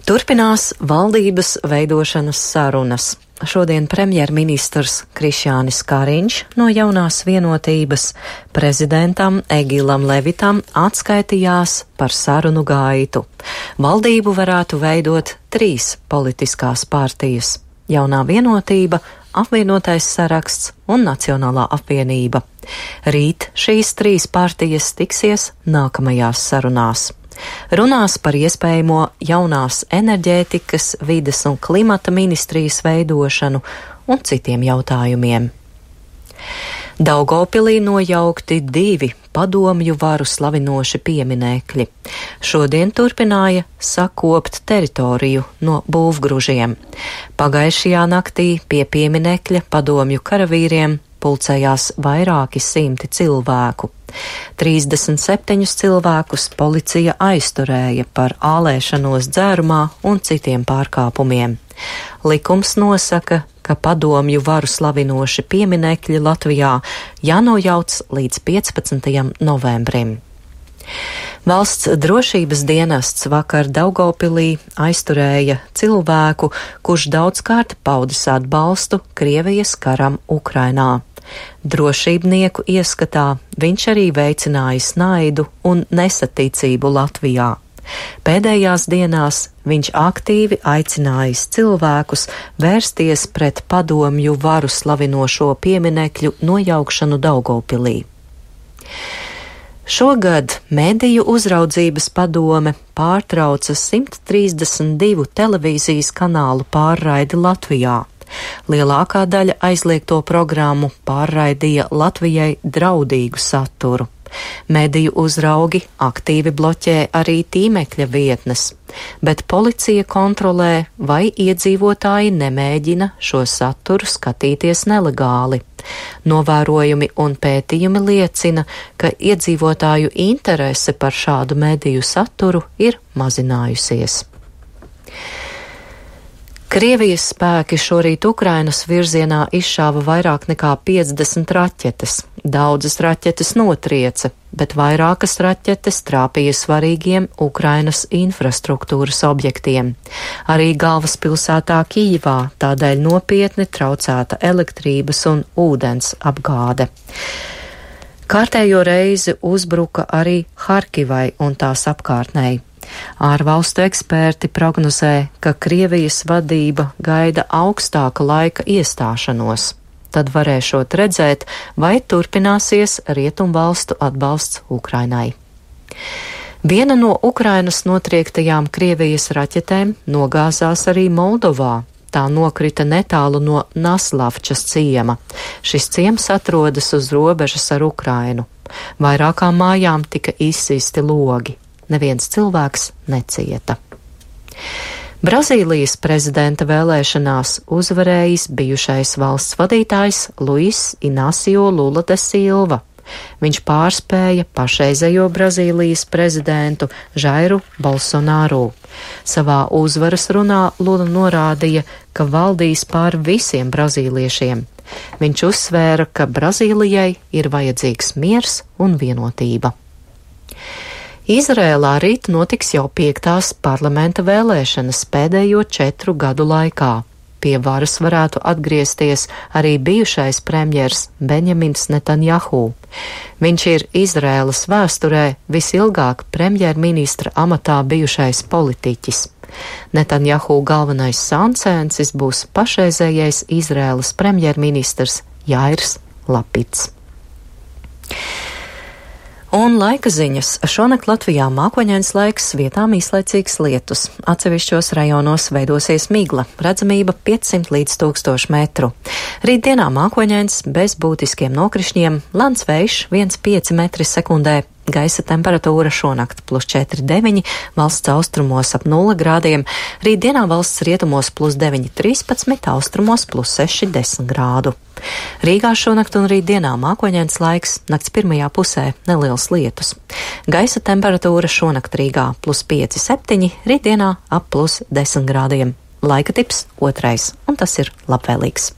Turpinās valdības veidošanas sarunas. Šodien premjerministrs Krišjānis Kariņš no Jaunās vienotības prezidentam Egilam Levitam atskaitījās par sarunu gaitu. Valdību varētu veidot 3 politiskās partijas - Jaunā vienotība, Apvienotais saraksts un Nacionālā apvienība. Rīt šīs 3 partijas tiksies nākamajās sarunās. Runās par iespējamo jaunās enerģētikas, vides un klimata ministrijas veidošanu un citiem jautājumiem. Daugavpilī nojaukti 2 padomju varu slavinoši pieminekļi. Šodien turpināja sakopt teritoriju no būvgružiem. Pagājušajā naktī pie pieminekļa padomju karavīriem pulcējās vairāki simti cilvēku. 37 cilvēkus policija aizturēja par ālēšanos dzērumā un citiem pārkāpumiem. Likums nosaka, ka padomju varu slavinoši pieminekļi Latvijā jānojauc līdz 15. novembrim. Valsts drošības dienests vakar Daugavpilī aizturēja cilvēku, kurš daudzkārt paudis atbalstu Krievijas karam Ukrainā. Drošībnieku ieskatā viņš arī veicinājis naidu un nesaticību Latvijā. Pēdējās dienās viņš aktīvi aicinājis cilvēkus vērsties pret padomju varu slavinošo pieminekļu nojaukšanu Daugavpilī. Šogad Mediju uzraudzības padome pārtrauca 132 televīzijas kanālu pārraidi Latvijā. Lielākā daļa aizliegto programmu pārraidīja Latvijai draudīgu saturu. Mediju uzraugi aktīvi bloķē arī tīmekļa vietnes, bet policija kontrolē, vai iedzīvotāji nemēģina šo saturu skatīties nelegāli. Novērojumi un pētījumi liecina, ka iedzīvotāju interese par šādu mediju saturu ir mazinājusies. Krievijas spēki šorīt Ukrainas virzienā izšāva vairāk nekā 50 raķetes. Daudzas raķetes notrieca, bet vairākas raķetes trāpīja svarīgiem Ukrainas infrastruktūras objektiem. Arī galvaspilsētā Kijivā tādēļ nopietni traucēta elektrības un ūdens apgāde. Kārtējo reizi uzbruka arī Harkivai un tās apkārtnei. Ārvalstu eksperti prognozē, ka Krievijas vadība gaida augstāka laika iestāšanos. Tad varēšot redzēt, vai turpināsies rietumvalstu atbalsts Ukrainai. Viena no Ukrainas notriektajām Krievijas raķetēm nogāzās arī Moldovā. Tā nokrita netālu no Naslavčas ciema. Šis ciems atrodas uz robežas ar Ukrainu. Vairākām mājām tika izsisti logi. Neviens cilvēks necieta. Brazīlijas prezidenta vēlēšanās uzvarējis bijušais valsts vadītājs Luis Inacio Lula de Silva. Viņš pārspēja pašreizējo Brazīlijas prezidentu Jairu Bolsonaru. Savā uzvaras runā Lula norādīja, ka valdīs pār visiem brazīliešiem. Viņš uzsvēra, ka Brazīlijai ir vajadzīgs miers un vienotība. Izrēlā rīt notiks jau 5. parlamenta vēlēšanas pēdējo 4 gadu laikā. Pie varas varētu atgriezties arī bijušais premjers Benjamins Netanjahu. Viņš ir Izrēlas vēsturē visilgāk premjerministra amatā bijušais politiķis. Netanjahu galvenais sancēnsis būs pašreizējais Izrēlas premjerministrs Jairs Lapits. Un laika ziņas. Šonakt Latvijā mākoņains laiks, vietām īslaicīgs lietus. Atsevišķos rajonos veidosies migla, redzamība 500 līdz 1000 metru. Rītdienā mākoņains bez būtiskiem nokrišņiem, lants vējš 1,5 metri sekundē. Gaisa temperatūra šonakt +4,9, valsts austrumos ap 0 grādiem, rītdienā valsts rietumos +9,13, austrumos +6,10 grādu. Rīgā šonakt un rītdienā mākoņains laiks, nakts pirmajā pusē neliels lietus. Gaisa temperatūra šonakt Rīgā +5,7, rītdienā ap +10 grādiem. Laika tips 2, un tas ir labvēlīgs.